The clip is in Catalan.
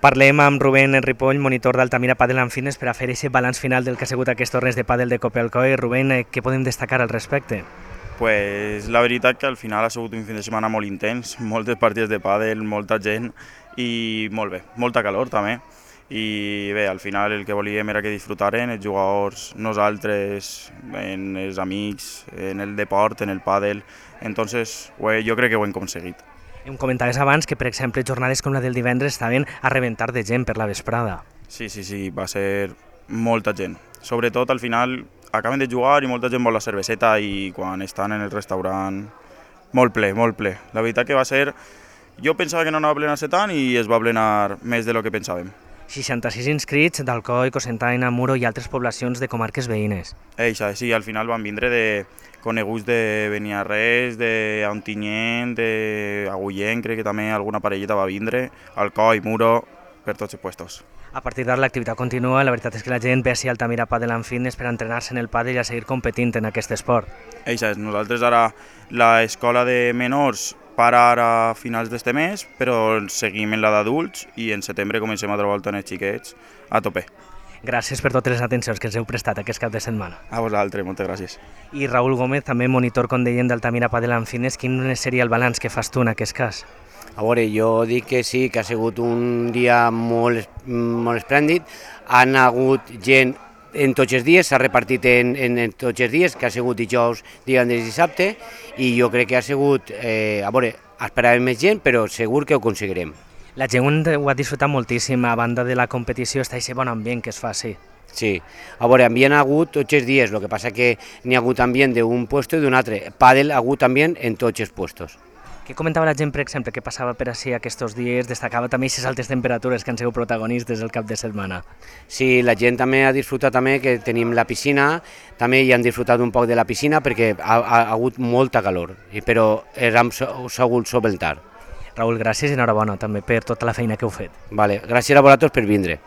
Parlem amb Rubén Ripoll, monitor d'Altamira Padel and Fitness, per a fer aquest balanç final del que ha sigut aquests torneig de pàdel de Copelcoe. Rubén, què podem destacar al respecte? Pues la veritat que al final ha sigut un fin de setmana molt intens, moltes partides de pàdel, molta gent i molt bé, molta calor també. I bé, al final el que volíem era que disfrutaren els jugadors, nosaltres, els amics, en el deport, en el pàdel. Entonces, jo crec que ho hem aconseguit. Em comentaves abans que, per exemple, jornades com la del divendres estaven a rebentar de gent per la vesprada. Sí, va ser molta gent. Sobretot al final acaben de jugar i molta gent vol la cerveseta i quan estan en el restaurant molt ple, molt ple. La veritat que va ser... Jo pensava que no anava a plenar-se tant i es va plenar més de lo que pensàvem. 66 inscrits d'Alcoi, Cocentaina, Muro i altres poblacions de comarques veïnes. Sí, al final van vindre de coneguts de Beniarrés, d'Ontinyent, d'Agullent, crec que també alguna parelleta va vindre, Alcoi, Muro, per tots els puestos. A partir d'ara l'activitat continua, la veritat és que la gent ve a Altamira Padel and Fitness per entrenar-se en el pàdel i a seguir competint en aquest esport. Nosaltres ara l'escola de menors para ara a finals d'este mes, però seguim en la d'adults i en setembre comencem a trobar els xiquets a tope. Gràcies per totes les atencions que ens heu prestat aquest cap de setmana. A vosaltres, moltes gràcies. I Raül Gómez, també monitor, com deien, d'Altamira Padel and Fitness, quin seria el balanç que fas tu en aquest cas? A veure, jo dic que sí, que ha sigut un dia molt esplèndid. Han hagut gent en tots els dies, s'ha repartit en tots els dies, que ha sigut dijous, divendres i dissabte, i jo crec que ha sigut, a veure, esperàvem més gent, però segur que ho aconseguirem. La gent ho ha disfrutat moltíssim, a banda de la competició està aquest bon ambient que es fa, sí. Sí, a veure, ambient ha hagut tots els dies, el que passa que n'hi ha hagut ambient d'un puesto i d'un altre. Pàdel ha hagut ambient en tots els puestos. Què comentava la gent, per exemple, que passava per així aquests dies? Destacava també aquestes altes temperatures que han sigut protagonistes el cap de setmana. Sí, la gent també ha disfrutat també que tenim la piscina, també hi han disfrutat un poc de la piscina perquè ha hagut molta calor, però hem sabut solventar. Raül, gràcies i enhorabona també per tota la feina que heu fet. Vale, gràcies a vosaltres per vindre.